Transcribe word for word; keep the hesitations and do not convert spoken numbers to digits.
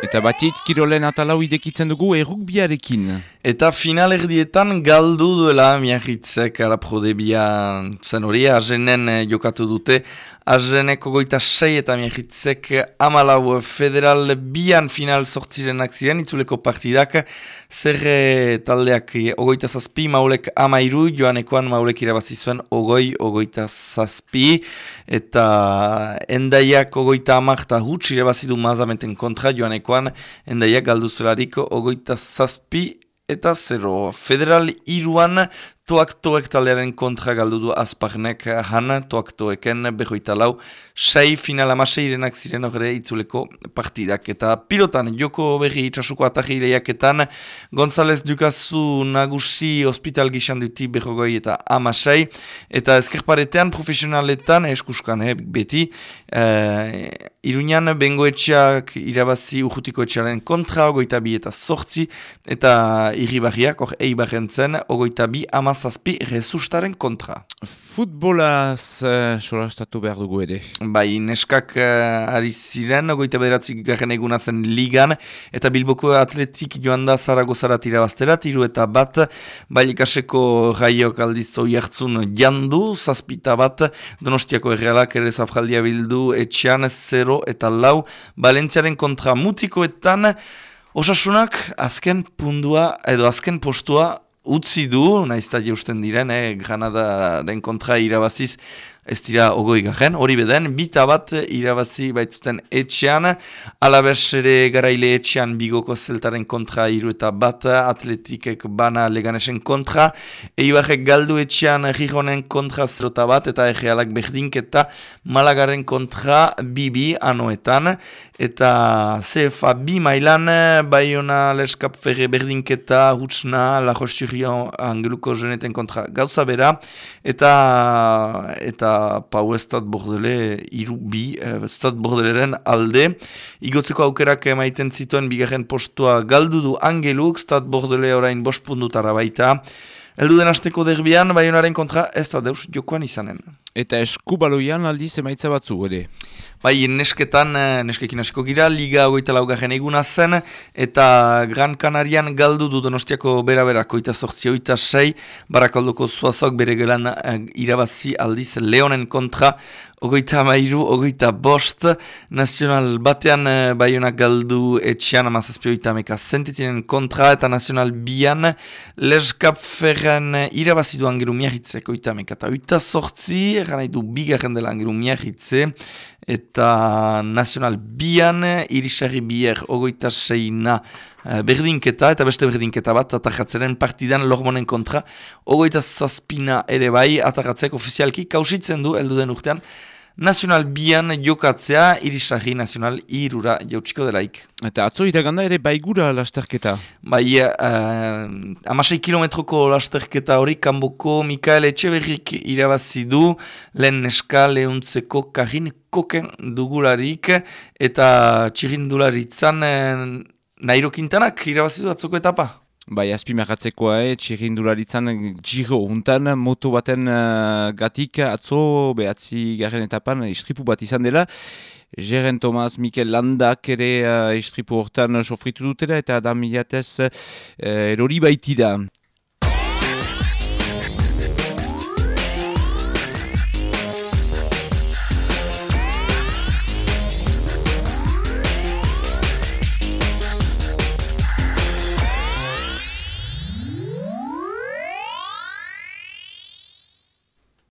Eta batit, kirolen atalau idekitzen dugu errukbiarekin. Eta finalerdietan galdu duela Miagitzek Araprodebian zen hori, Argenen jokatu dute. Argenek ogoita sei eta Miagitzek amalau federal bian final sortzirenak ziren, itzuleko partidak. Zer taldeak ogoita zazpi, maulek amairu, joanekoan maulek irabazi zuen ogoi, ogoita zazpi. Eta endaiak ogoita amarta huts irabazidu mazamenten kontra, joanekoan endaiak galdu zuelarik ogoita zazpi eta zero. Federal iruan toak toek taldearen kontra galdu du Azparnek han, toak toeken berroita lau, sei final amaseirenak ziren horre itzuleko partidak. Eta pilotan, joko berri itxasuko atarri lehiaketan, González Dukazu nagusi hospital gixan duti berrogoi eta amasei, eta ezkerparetean profesionaletan, eskuskan eh, beti, eh, Iruñan bengoetxeak irabazi urrutiko etxearen kontra, ogoita bi eta sortzi, eta irribarriak, hor eibarrentzen, ogoita bi amazazpi resustaren kontra. Futbolaz uh, solastatu behar dugu ere. Bai, neskak uh, ari ziren, ogoita bederatzik garen eguna zen ligan, eta Bilboko atletik joan da Zaragozarat irabaztera, tiru eta bat, Bailikaseko raiok aldiz oi hartzun jandu, zazpita bat, Donostiako errealak ere zafraldia bildu etxean, zero eta lau, Valentziaren kontra mutikoetan, Osasunak azken pundua edo azken postua utzi du, naizta jeusten diren, eh, Granadaren kontra irabaziz, ez dira ogoi garen, hori beden, bita bat irabazi baitzuten etxean, Alabes ere garaile etxean Bigoko zeltaren kontra iru eta bat, Atletikek bana Leganesen kontra, Eibarrek galdu etxean Gijonen kontra zero eta bat, eta Errealak berdinketa Malagaren kontra bibi anoetan, eta C F A bi mailan, Bayona Leskap Ferre berdinketa, Hutsna, La Roche-sur-Yon, Angeluko Geneten kontra gauza bera, eta eta Pau Estad Bordele iru bi, Estad Bordeleren alde. Igotzeko aukerak emaiten zituen bigarren postua galdu du Angeluk, Estad Bordele orain bost pundutara baita. Eldu den asteko derbian, Bayonaren kontra ez da deus jokoan izanen. Eta eskubaloian aldiz emaitza batzu, ere? Bai, nesketan, neskekin asko gira, Liga ogoita laugarren eguna zen, eta Gran Canarian galdu du Donostiako bera-berak, oita sortzi, oita sei, Barakaldoko zuazok bere gelan irabazi aldiz Leonen kontra, ogoita amairu, ogoita bost, Nazional batean Baionak galdu etxean amazazpi oita ameka zentitinen kontra, eta Nazional bian Leskap Ferran irabazi du Angeru Miagitzek oita ameka eta oita sortzi, eran nahi du bigarren dela Angeru Miagitze, eta Nazional bian Irisarri bier ogoita seina berdinketa, eta beste berdinketa bat, atajatzeren partidan Lormonen kontra, ogoita zazpina ere bai, atajatzek ofizialki kausitzen du, eldu den urtean, Nazional bian jokatzea, Irisarri Nazional irura jautsiko delaik. Eta atzo iraganda ere baigura lasterketa? Bai, uh, amasei kilometroko lasterketa hori, kanboko Mikael Etxeberrik irabazi du, lehen neska lehuntzeko Karin Koken dugularik, eta txirindularitzan eh, Nairo Quintanak irabazi du atzoko etapa. Bai, azpimarratzekoa, eh, txirrindularitzan Giro untan, moto baten uh, gatik atzo behatzi garen etapan istripu bat izan dela. Jeren Thomas, Mikel Landak ere uh, istripu hortan sofritu dutela eta Adam Miliatez uh, erori baitida.